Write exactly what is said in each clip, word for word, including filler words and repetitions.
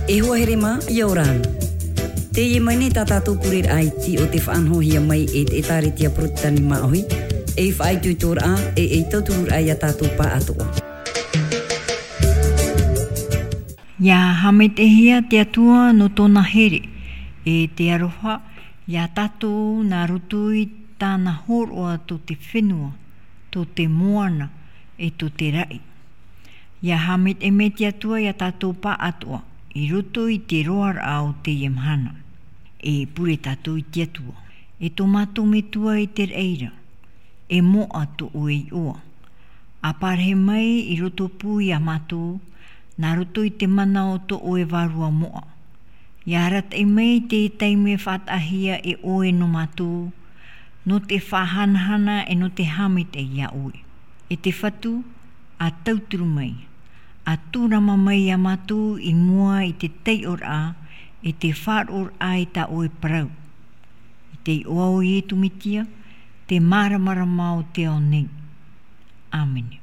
E hoa here mā, ʻia ora na. Teie mai nei tā tātou pureraʻa iti o te faʻanahohia mai e te ʻĒtārētia Porotetani Māʻohi, ei faʻaitoitoraʻa, e ei tautururaʻa ia tātou pāʻatoʻa. ʻIa haʻamaitaʻihia te Atua nō tōna here, e te aroha, ia tātou nā roto i tāna hōroʻa tō te fenua, tō te moana, e tō te raʻi. ʻIa haʻamaitaʻi mai te Atua ia tātou pāʻatoʻa, i roto i te roaraʻa o teie mahana. E pure tātou i te Atua. E tō mātou Metua i te raʻi ra, e moʻa tō ʻoe iʻoa. ʻA parahi mai i roto pū ia mātou, nā roto i te mana o tō ʻoe Vārua moʻa. ʻIa arataʻi mai te taime faʻataʻahia e ʻoe nō mātou, nō te faʻahanahana e nō te haʻamaitaʻi ia ʻoe. E te Fatu, ʻa tauturu mai, ʻa tūrama mai ia mātou i mua i te taiʻoraʻa, e te faʻaroʻoraʻa i tā ʻoe parau. I te iʻoa o Ietu Metia, te māramarama o te ao nei. ʻĀmene.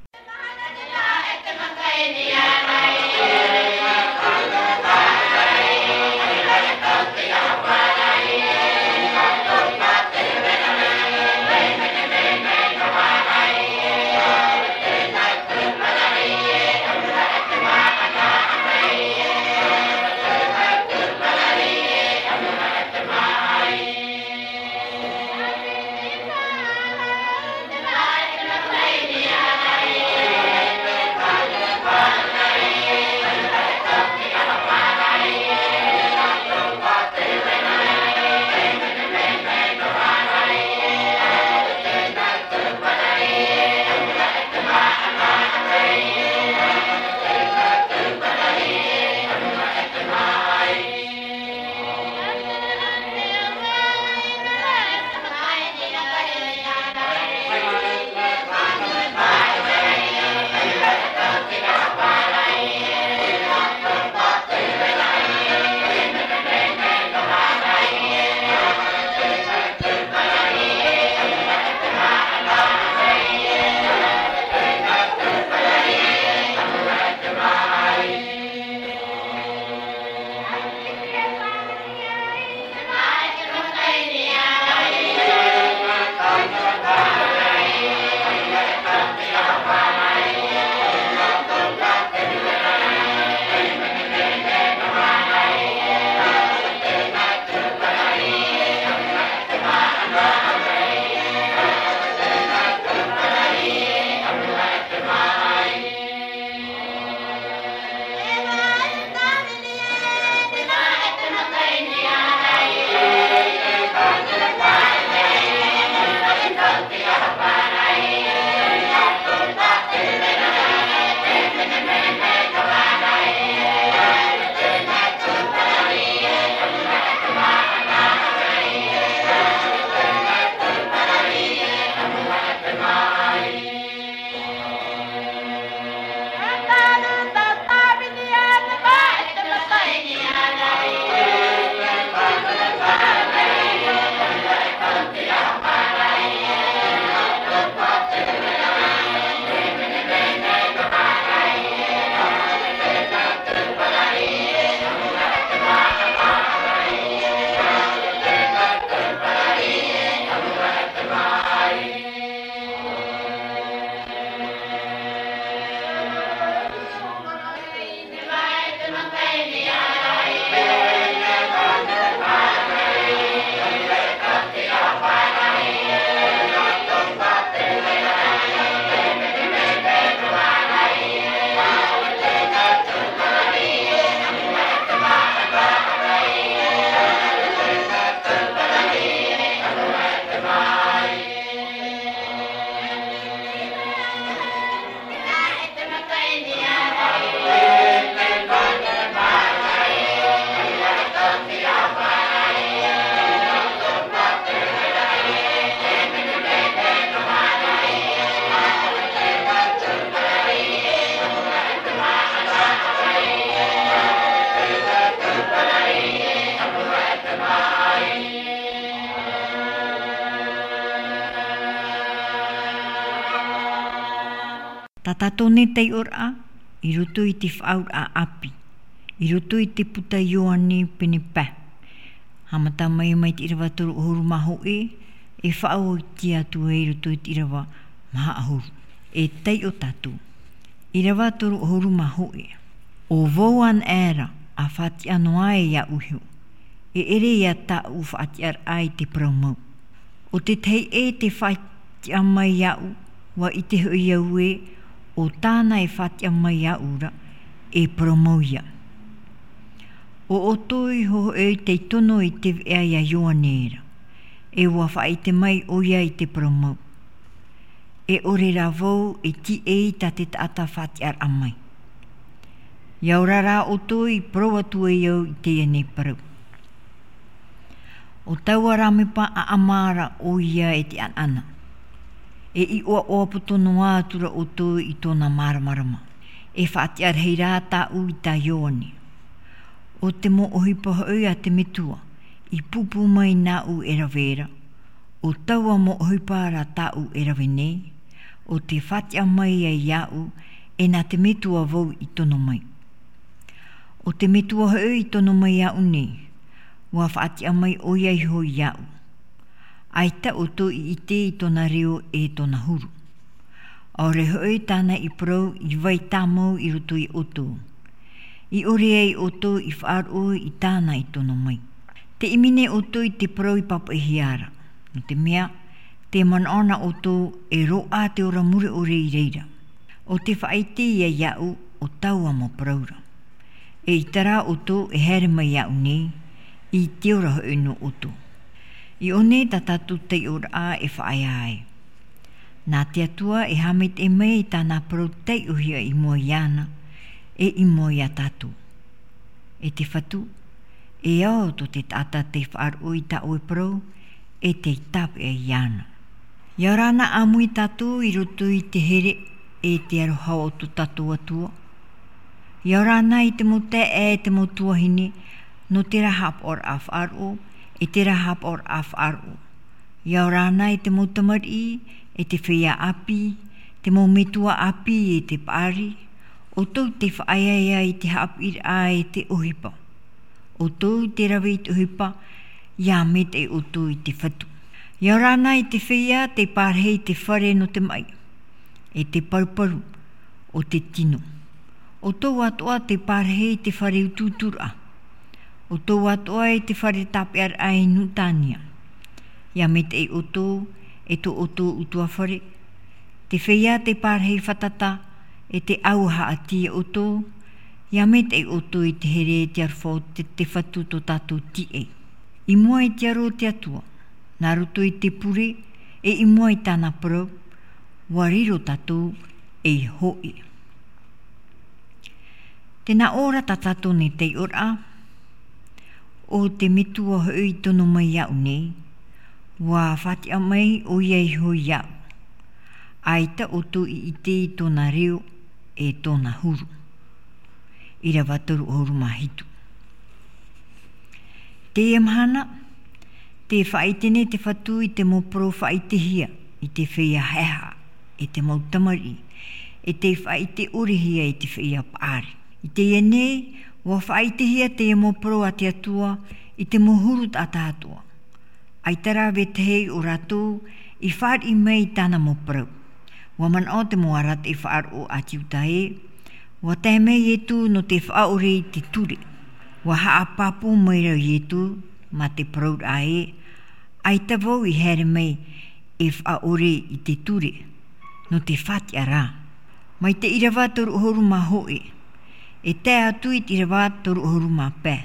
Tā tātou nei taiʻoraʻa, i roto i te faʻaauraʻa ʻāpī. I roto i te puta Ioane pene pae. Haʻamata mai mai te ʻīrava toru ʻahuru mā hōʻē, e faʻaoti atu ai i roto i te ʻīrava maha ʻahuru. E taiʻo tātou. ʻĪrava toru ʻahuru mā hōʻē. ʻO vau anaʻe ra, ʻa faʻatiʻa noa e iāʻu iho. E ʻere ia tāʻu faʻatiʻaraʻa i te parau mau. ʻO tētahi ʻē tē faʻatiʻa mai iāʻu, ʻua ʻite hoʻi au ē, ʻo tāna e faʻatiʻa mai iāʻu ra, e parau mau ia. ʻO ʻoutou iho hoʻi tei tono i te veʻa ia Ioane ra, e ʻua faʻaʻite mai ʻoia i te parau mau. E ʻore rā vau e tīaʻi tā te taʻata faʻatiʻaraʻa mai. ʻIa ora rā ʻoutou i parau atu ai au i teie nei parau. ʻO taua rāmepa ʻaʻama ra ʻoia e te ʻanaʻana. E ʻiʻoaʻoa poto noa atu ra ʻoutou i tōna māramarama. E faʻatiʻa rahi rā tāʻu i tā Ioane. ʻO te mau ʻohipa hoʻi a te Metua, i pūpū mai nāʻu e rave ra. ʻO taua mau ʻohipa rā tāʻu e rave nei, ʻo tē faʻatiʻa mai ai iāʻu, e nā te Metua vau i tono mai. ʻO te Metua hoʻi i tono mai iāʻu nei, ʻua faʻatiʻa mai ʻoia iho iāʻu. ʻAita ʻoutou i ʻite i tōna reo e tōna huru. ʻAore hoʻi tāna i parau i vai tāmau i roto ia ʻoutou. I ʻore ai ʻoutou i faʻaroʻo i tāna i tono mai. Tē ʻimi nei ʻoutou i te parau i pāpaʻihia ra. Nō te mea, tē manaʻo na ʻoutou e roaʻa te ora mure ʻore i reira. ʻO tē faʻaʻite ia iāʻu ʻo taua mau parau ra. E ʻaita rā ʻoutou e haere mai iāʻu nei, i te ora hoʻi nō ʻoutou. I ʻō nei tā tātou taiʻoraʻa e faʻaea ai. Nā te Atua e haʻamaitaʻi mai i tāna parau taiʻohia i mua iāna, e i mua ia tātou. E te Fatu, e ao tō te taʻata tei faʻaroʻo i tā ʻoe parau, e tei tāpeʻa iāna. ʻIa ora na ʻāmui tātou i roto i te here e te aroha o tō tātou Atua. ʻIa ora na i te mau taeaʻe e te mau tuahine, nō terā haʻapaʻoraʻa faʻaroʻo, e terā haʻapaʻoraʻa faʻaroʻo. ʻIa ora na i te mau tamariʻi, e te feiā ʻāpī, te mau metua ʻāpī e te paʻari, ʻoutou tei faʻaeaea i te haʻapiʻiraʻa e te ʻohipa. ʻOutou tē rave i te ʻohipa, ʻia maitaʻi ʻoutou i te Fatu. ʻIa ora na i te feiā tei parahi i te fare nō te maʻi, e te paruparu o te tino. ʻOutou atoʻa tei parahi i te fare utuuturaʻa. ʻOutou atoʻa i te fare tāpeʻaraʻa i Nutania. ʻIa maitaʻi ʻoutou, e tō ʻoutou ʻutuāfare. Te feiā tei parahi fātata, e te ʻāua haʻati ia ʻoutou, ʻia maitaʻi ʻoutou i te here e te aroha o te, te Fatu tō tātou tīaʻi. I mua i te aro o te Atua, nā roto i te pure, e i mua i tāna parau, ʻua riro tātou ei hōʻē. Tē nā ʻō ra tā tātou nei taiʻoraʻa, ʻo te Metua hoʻi i tono mai iāʻu nei, ʻua faʻatiʻa mai ʻoia iho iāʻu. ʻAita ʻoutou i ʻite i tōna reo e tōna huru. ʻĪrava toru ʻahuru mā hitu. Teie mahana, tē faʻaʻite nei te Fatu i te mau parau faʻaʻitehia i te feiā haʻehaʻa, e te mau tamariʻi, e tei faʻaʻite ʻorehia i te feiā paʻari. I teie nei, ʻua faʻaʻitehia teie mau parau a te Atua i te mau huru taʻata atoʻa. ʻAita rā vetahi o rātou i fāriʻi mai i tāna mau parau. ʻUa manaʻo te mau arataʻi faʻaroʻo a te Iuta ē, ʻua tae mai Ietu nō te faʻaʻore i te ture. ʻUa haʻapāpū maira Ietu mā te parauraʻa ē, ʻaita vau i haere mai e faʻaʻore i te ture, nō te faʻatiʻa rā. Mai te ʻīrava toru ʻahuru mā hōʻē, e tae atu i te ʻīrava toru ʻahuru mā pae,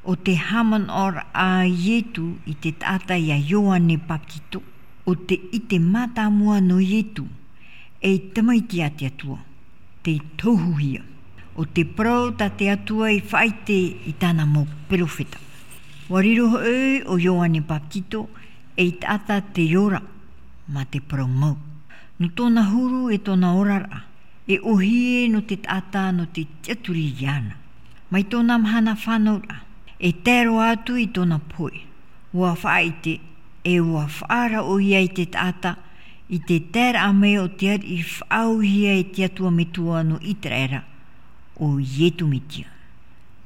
ʻo te haʻamanaʻoraʻa a Ietu i te taʻata ia Ioane Bapetito, ʻo te ʻite mātāmua nō Ietu, ei tamaiti a te Atua, tei tohuhia. ʻO te parau tā te Atua i faʻaʻite i tāna mau perofeta. ʻUa riro hoʻi ʻo Ioane Bapetito ei taʻata tei ora mā te parau mau. Nō tōna huru e tōna oraraʻa, e ʻōhie nō te taʻata nō te tiʻaturi iāna. Mai tōna mahana fānauraʻa, e tae roa atu i tōna pohe, ʻua faʻaʻite, e ʻua faʻaara ʻoia i te taʻata, i te taeraʻa mai o te ariʻi faʻaauhia e te Atua Metua nō Iteraera, ʻo Ietu Metia.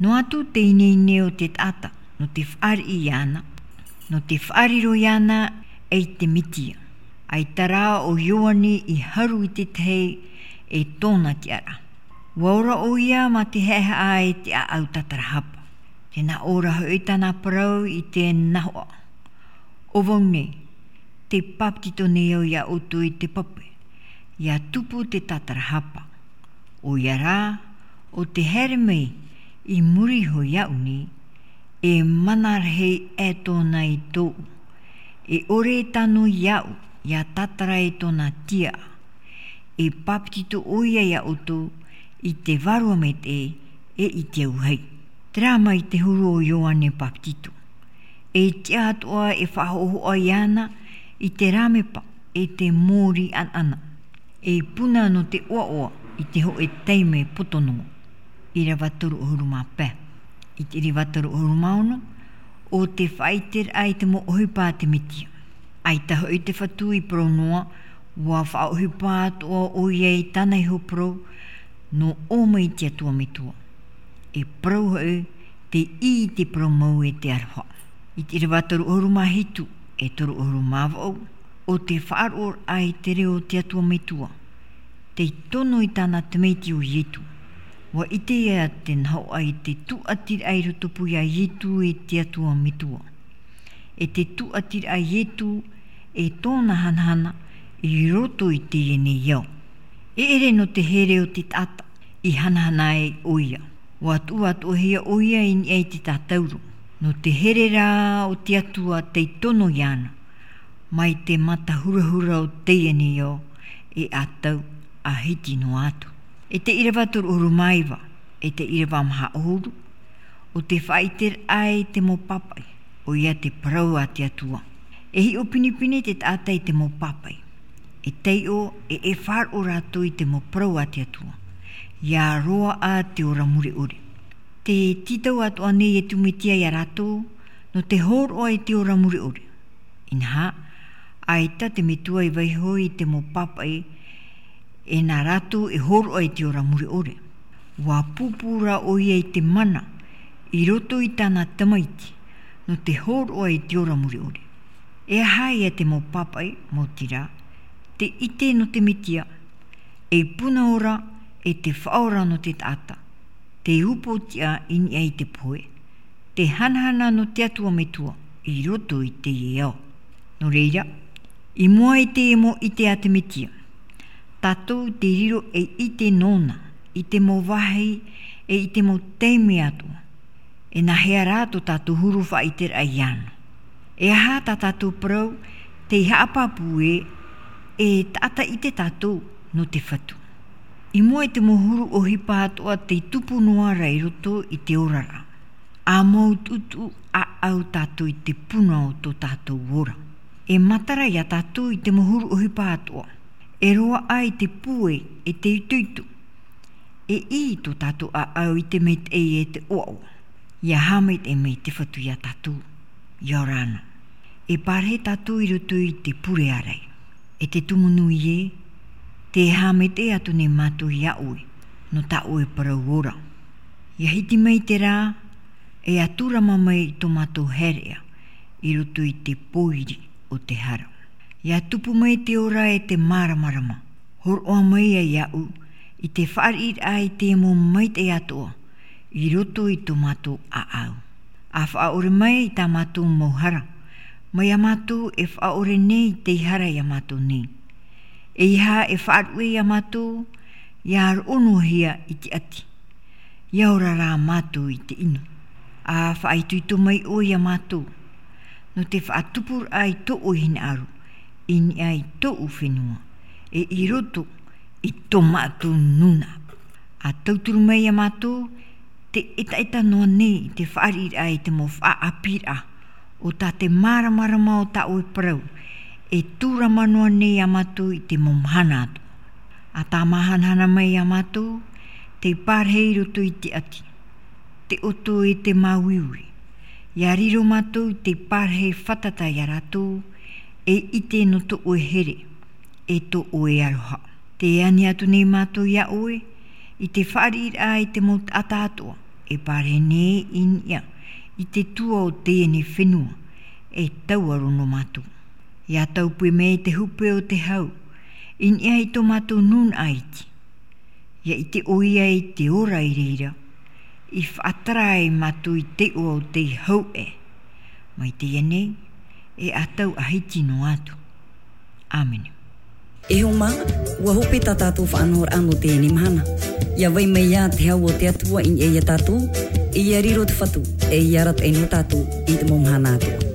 Noa atu te ineine o te taʻata nō te faʻariʻi iāna, nō te faʻariro iāna i te Metia. ʻAita rā ʻo Ioane i haru i te tahi e tōna tiʻaraʻa. ʻUa ora ʻoia mā te haʻehaʻa e te ʻāʻau tātarahapa. Tē nā ʻō ra hoʻi tāna parau i te nahoʻa. ʻO vau nei, tē pāpetito nei au iā ʻoutou i te pape, ʻia tupu te tātarahapa. ʻOia rā, ʻo tē haere mai i muri iho iāʻu nei, e mana rahi aʻe tōna i tōʻu. E ʻore e tano iāʻu ʻia tātara i tōna tiaʻa. E pāpetito ʻoia iā ʻoutou i te vārua maitaʻi e i te auahi. Terā mai te huru o Ioane Pāpetito. E tiʻa atoʻa e faʻahoʻohoʻa iāna i te rāmepa e te mōrī ʻanaʻana. E puna nō te ʻoaʻoa i te hōʻē taime poto noa. ʻĪrava toru ʻahuru mā pae. I te ʻīrava toru ʻahuru mā ono, ʻo te faʻaʻiteraʻa i te mau ʻohipa a te Metia. ʻAita hoʻi te Fatu i parau noa, ʻua faʻaʻohipa atoʻa ʻoia i tāna iho parau, nō ʻō mai te Atua Metua. E parau hoʻi, tē ʻī i te parau mau e te aroha. I te ʻīrava toru ʻahuru mā hitu, e toru ʻahuru mā vaʻu, ʻo te faʻaroʻoraʻa i te reo o te Atua Metua. Tei tono i tāna tamaiti ʻo Ietu. ʻUa ʻite ia te nahoʻa i te tūʻatiraʻa i rotopū iā Ietu e te Atua Metua. E te tūʻatiraʻa Ietu e tōna hanahana i roto i teie nei ao. E ʻere nō te here o te taʻata i hanahana ai ʻoia. ʻUa tuʻu atoʻahia ʻoia i niʻa i te tātauro. Nō te here rā o te Atua tei tono iāna. Mai te mata hurahura o teie nei ao e ʻatau a hiti noa atu. E te ʻīrava toru ʻahuru mā iva, e te ʻīrava maha ʻahuru, ʻo te faʻaʻiteraʻa i te mau pāpaʻi, ʻoia te parau a te Atua. E hiʻo pinepine te taʻata i te mau pāpaʻi. E taiʻo e e faʻaroʻo rātou i te mau parau a te Atua. ʻIa roaʻa te ora mure ʻore. Tē tītau atoʻa nei e te Metia iā rātou, nō te hōroʻa i te ora mure ʻore. Inaha, ʻaita te Metua i vaiiho i te mau pāpaʻi, e nā rātou e hōroʻa i te ora mure ʻore. ʻUa pūpū rā ʻoia i te mana, i roto i tāna tamaiti, nō te hōroʻa i te ora mure ʻore. E aha ia te mau pāpaʻi, mau tira, te ʻite nō te Metia, e puna ora, e te faʻaora nō te taʻata, te upoʻotiʻa i niʻa i te pohe, te hanahana nō te Atua Metua i roto i teie ao. Nō reira, i mua i te mau ʻite a te Metia, tātou te riro ei ʻite nōna, i te mau vāhi, e i te mau taime atoʻa. E nāhea rā tō tātou huru faʻaʻiteraʻa iāna? E aha tā tātou parau, tei haʻapāpū ē, e taʻata ʻite tātou nō te Fatu. I mua i te mau huru ʻohipa atoʻa tei tupu noa ra i roto i te oraraʻa. ʻA mau tuʻutuʻu ʻāʻau tātou i te puna o tō tātou ora. E matara iā tātou i te mau huru ʻohipa atoʻa. E roaʻa i te pūai, e te itoito. E ʻī tō tātou ʻāʻau i te maitaʻi e te ʻoaʻoa. ʻIa haʻamaitaʻi mai te Fatu iā tātou. ʻIa ora na. E pārahi tātou i roto i te pure ārai. E te tumu nui ē, tē haʻamaitaʻi atu nei mātou iā ʻoe, nō tā ʻoe parau ora. ʻIa hiti mai te rā, e ʻia tūrama mai i tō mātou haereʻa, i roto i te pōiri o te hara. ʻIa tupu mai te ora e te māramarama, hōroʻa mai ia iāʻu, i te fāriʻiraʻa i te mau maitaʻi atoʻa, i roto i tō mātou ʻāʻau. ʻA faʻaʻore mai i tā mātou mau hara, mai iā mātou e faʻaʻore nei tei hara iā mātou nei. ʻEiaha e faʻaruʻe iā mātou, ʻia roʻo noa hia i te ʻati. ʻIa ora rā mātou i te ʻino. ʻA faʻaitoito mai ʻoe iā mātou, nō te faʻatupuraʻa i tō ʻoe hinaʻaro, i niʻa i tōʻu fenua, e i roto i tō mātou nūnaʻa. ʻA tauturu mai iā mātou, te ʻetaʻeta noa nei i te fāriʻiraʻa i te mau faʻaʻāpīraʻa, ʻo tā te māramarama o tā ʻoe parau, e tūrama noa nei iā mātou i te mau mahana atoʻa. ʻA tāmāhanahana mai iā mātou, tei pārahi i roto i te ʻati, te ʻoto e te māuiui. ʻIa riro mātou tei pārahi fātata iā rātou, e ʻite nō tō ʻoe here, e tō ʻoe aroha. Tē ani atu nei mātou iā ʻoe, i te fāriʻiraʻa i te mau taʻata atoʻa, E pārahi nei i niʻa i te tua o teie nei fenua, e tauaro nō mātou. Ia taupui mai te hupe o te hau i niʻa i tō mātou nūnaʻa iti. Ia ʻite ʻoia i te ora i reira i faʻatara ai mātou i te iʻoa o te hau ʻē. Mai teie nei, e ʻatau ʻahiti noa atu. Āmene. E homa, ua hope tā tātou faʻanahoraʻa nō teie mahana. Ia vai mai ia te hau o te Atua i niʻa ia tātou, e ia riro te Fatu, e ia arataʻi nō tātou i te mau mahana atoʻa.